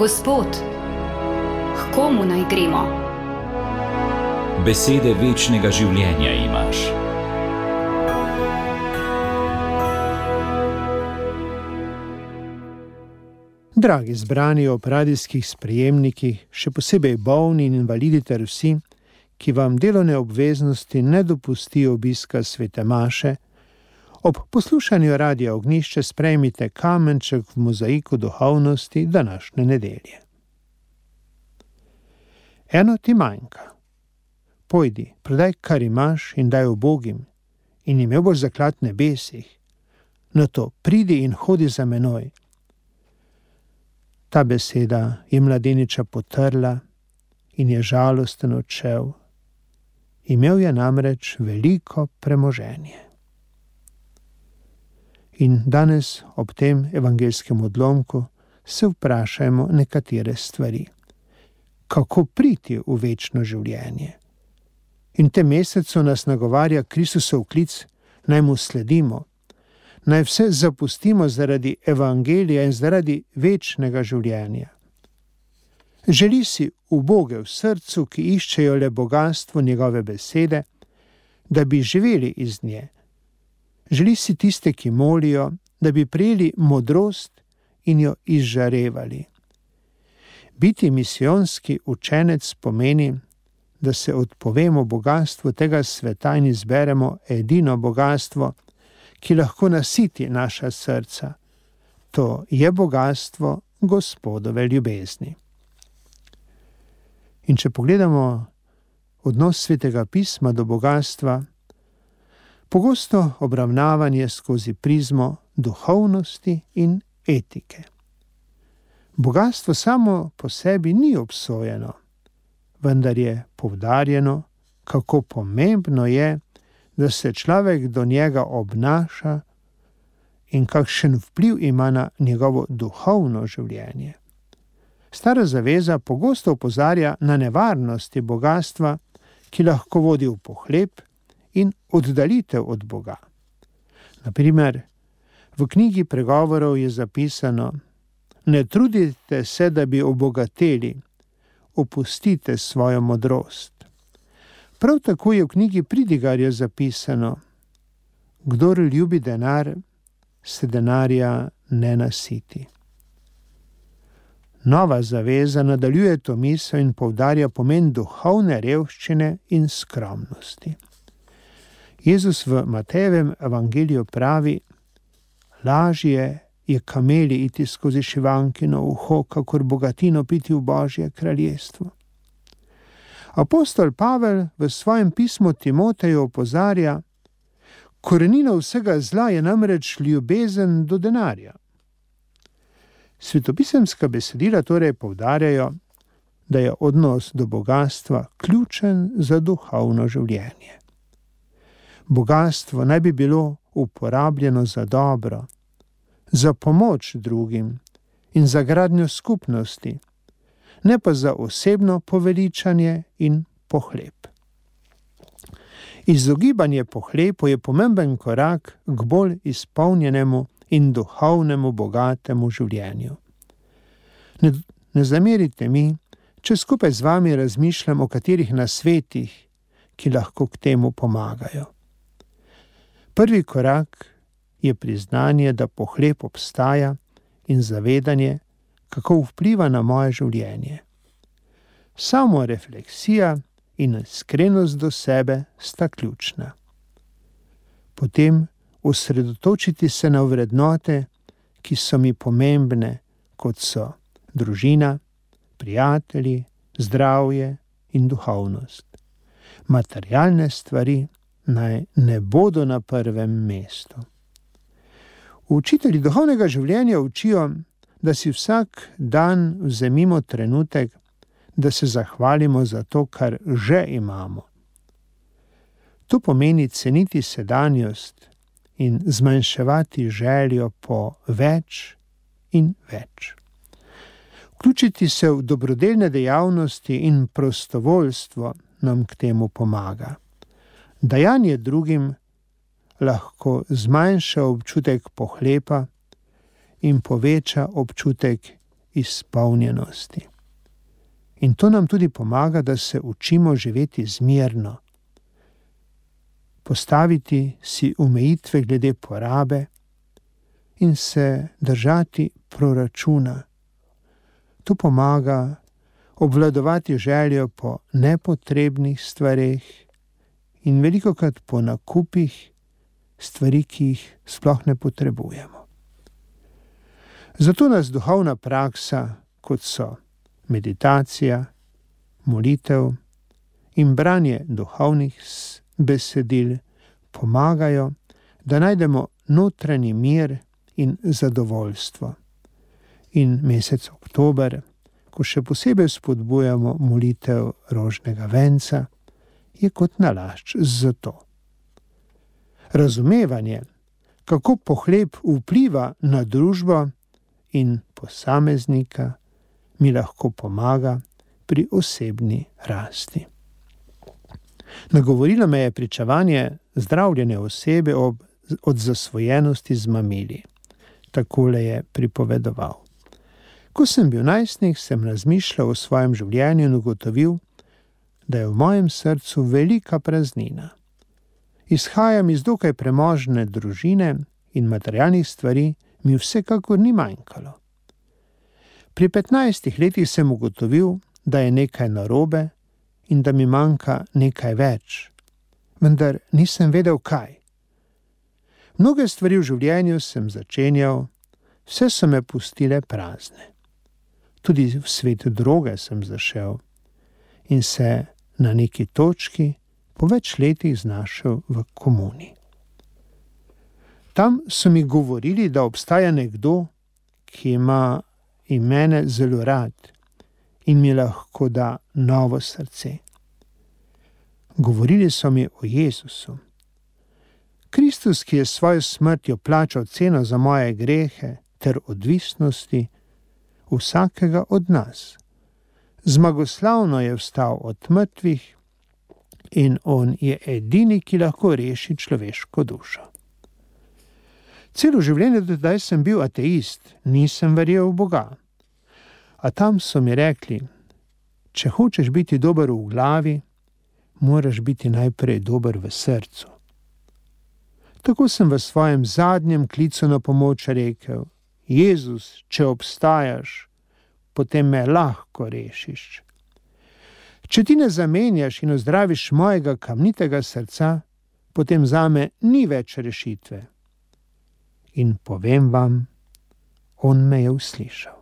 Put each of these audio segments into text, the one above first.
Gospod, k komu naj gremo? Besede večnega življenja imaš. Dragi zbrani ob radijskih sprejemnikih, še posebej bolni in invalidi ter vsi, ki vam delovne obveznosti ne dopustijo obiska svete maše, ob poslušanju Radia Ognjišče sprejmite kamenček v mozaiku duhovnosti današnje nedelje. Eno ti manjka. Pojdi, prodaj, kar imaš in daj ubogim, in imel boš zaklad v nebesih. Nato pridi in hodi za menoj. Ta beseda je mladeniča potrla in je žalosten odšel. Imel je namreč veliko premoženje. In danes ob tem evangelskem odlomku se vprašajmo nekatere stvari. Kako priti v večno življenje? In tem mesecu nas nagovarja Kristusov klic, naj mu sledimo, naj vse zapustimo zaradi evangelija in zaradi večnega življenja. Želi si uboge v srcu, ki iščejo le bogastvo njegove besede, da bi živeli iz nje. Želi si tiste, ki molijo, da bi prejeli modrost in jo izžarevali. Biti misijonski učenec pomeni, da se odpovemo bogatstvu tega sveta in izberemo edino bogatstvo, ki lahko nasiti naša srca. To je bogatstvo Gospodove ljubezni. In če pogledamo odnos Svetega pisma do bogatstva, pogosto obravnavanje skozi prizmo duhovnosti in etike. Bogatstvo samo po sebi ni obsojeno, vendar je poudarjeno, kako pomembno je, da se človek do njega obnaša in kakšen vpliv ima na njegovo duhovno življenje. Stara zaveza pogosto opozarja na nevarnosti bogatstva, ki lahko vodi v pohlep in oddalitev od Boga. Na primer, v knjigi Pregovorov je zapisano: ne trudite se, da bi obogateli, opustite svojo modrost. Prav tako je v knjigi Pridigarja zapisano: kdor ljubi denar, se denarja ne nasiti. Nova zaveza nadaljuje to misel in poudarja pomen duhovne revščine in skromnosti. Jezus v Matejevem evangeliju pravi: lažje je kameli iti skozi šivankino uho, kakor bogatino piti v Božje kraljestvo. Apostol Pavel v svojem pismu Timoteju opozarja: korenina vsega zla je namreč ljubezen do denarja. Svetopisemska besedila torej poudarjajo, da je odnos do bogatstva ključen za duhovno življenje. Bogatstvo naj bi bilo uporabljeno za dobro, za pomoč drugim in za gradnjo skupnosti, ne pa za osebno poveličanje in pohlep. Izogibanje pohlepu je pomemben korak k bolj izpolnjenemu in duhovnemu bogatemu življenju. Ne zamerite mi, če skupaj z vami razmišljam o katerih nasvetih, ki lahko k temu pomagajo. Prvi korak je priznanje, da pohlep obstaja, in zavedanje, kako vpliva na moje življenje. Samorefleksija in iskrenost do sebe sta ključna. Potem osredotočiti se na vrednote, ki so mi pomembne, kot so družina, prijatelji, zdravje in duhovnost. Materialne stvari naj ne bodo na prvem mestu. Učitelji duhovnega življenja učijo, da si vsak dan vzemimo trenutek, da se zahvalimo za to, kar že imamo. To pomeni ceniti sedanjost in zmanjševati željo po več in več. Vključiti se v dobrodelne dejavnosti in prostovoljstvo nam k temu pomaga. Dajanje drugim lahko zmanjša občutek pohlepa in poveča občutek izpolnjenosti. In to nam tudi pomaga, da se učimo živeti zmerno, postaviti si omejitve glede porabe in se držati proračuna. To pomaga obvladovati željo po nepotrebnih stvareh in velikokrat po nakupih stvari, ki jih sploh ne potrebujemo. Zato nas duhovna praksa, kot so meditacija, molitev in branje duhovnih besedil, pomagajo, da najdemo notranji mir in zadovoljstvo. In mesec oktober, ko še posebej spodbujamo molitev rožnega venca, je kot nalašč za to. Razumevanje, kako pohleb vpliva na družbo in posameznika, mi lahko pomaga pri osebni rasti. Nagovorilo me je pričevanje zdravljene osebe od zasvojenosti z mamili. Takole je pripovedoval. Ko sem bil najstnik, sem razmišljal o svojem življenju in ugotovil, da je v mojem srcu velika praznina. Izhajam iz dokaj premožne družine in materialnih stvari mi vsekakor ni manjkalo. Pri 15 letih sem ugotovil, da je nekaj narobe in da mi manjka nekaj več, vendar nisem vedel kaj. Mnoge stvari v življenju sem začenjal, vse so me pustile prazne. Tudi v svet droge sem zašel in se na neki točki po več letih znašel v komuni. Tam so mi govorili, da obstaja nekdo, ki ima in mene zelo rad in mi lahko da novo srce. Govorili so mi o Jezusu. Kristus, ki je s svojo smrtjo plačal ceno za moje grehe ter odvisnosti vsakega od nas. Zmagoslavno je vstal od mrtvih in on je edini, ki lahko reši človeško dušo. Celo življenje do zdaj sem bil ateist, nisem verjel v Boga. A tam so mi rekli, če hočeš biti dober v glavi, moraš biti najprej dober v srcu. Tako sem v svojem zadnjem klicu na pomoč rekel, Jezus, če obstajaš, potem me lahko rešiš. Če ti ne zamenjaš in ozdraviš mojega kamnitega srca, potem zame ni več rešitve. In povem vam, on me je uslišal.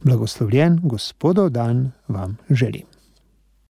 Blagoslovljen Gospodov dan vam želim.